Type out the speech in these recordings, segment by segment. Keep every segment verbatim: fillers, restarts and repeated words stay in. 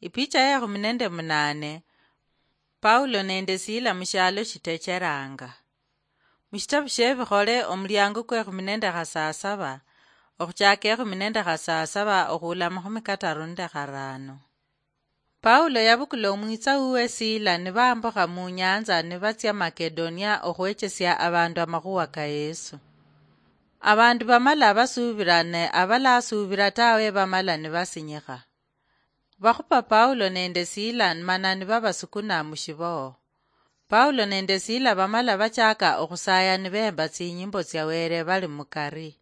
Ipicha ya ekhumi nende munane. Paulo nende Sila mushialo shitecheranga. Mushitabu shie Ebikhole, omuliango kwe ekhumi nende khasasaba, okhuchaka ekhumi nende khasasaba okhuula mukhumi kataru nende kharano. Paulo yabukula omwitsa wuwe Sila nibambukha munyanza nibatsia Makedonia okhwechesia abandu amakhuwa ka Yesu. Abandu bamala basuubira ne abalasuubira tawe bamala nibasinyikha. Bakhupa Paulo nende Sila mana nibabasukuna mushiboho. Paulo nende Sila bamala bachaka okhusaya nibemba tsinyimbo tsia Wele bali mukari.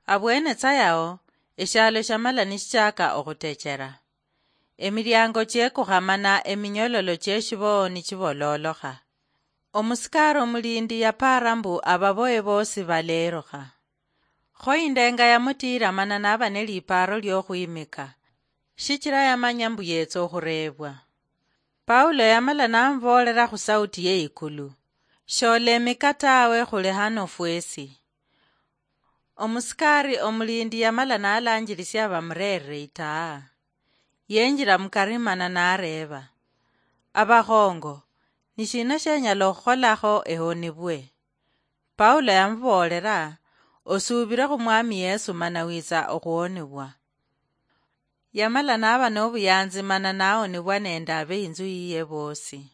Abwene tsa yao, eshialo shiamala nishichaka okhutechera. Emiliango chiekukha mana eminyololo chieshiboho nichibololokha. Omusikari omulindi yapaara mbu ababoye bosi balerukha. Kho indenga yamutiira mana naba nelipaaro liokhwimika, shichira yamanya mbu yetsa okhureebwa. Paulo yamala namuboolera khusauti yeikulu, "Sholemika tawe, khuli hano fwesi." Omusikari omulindi yamala nalanjirisia bamureerire itaa. Yenjira mukari mana nareeba, "Abakhongo, nishina shenyala okhukholakho ehonibwe?" Paulo yamuboolera, "Osuubire khu Mwami Yesu mana witsa okhuhonibwa." Yamala naba nobuyanzi mana nahonibwa nende abeinzu yiye bosi.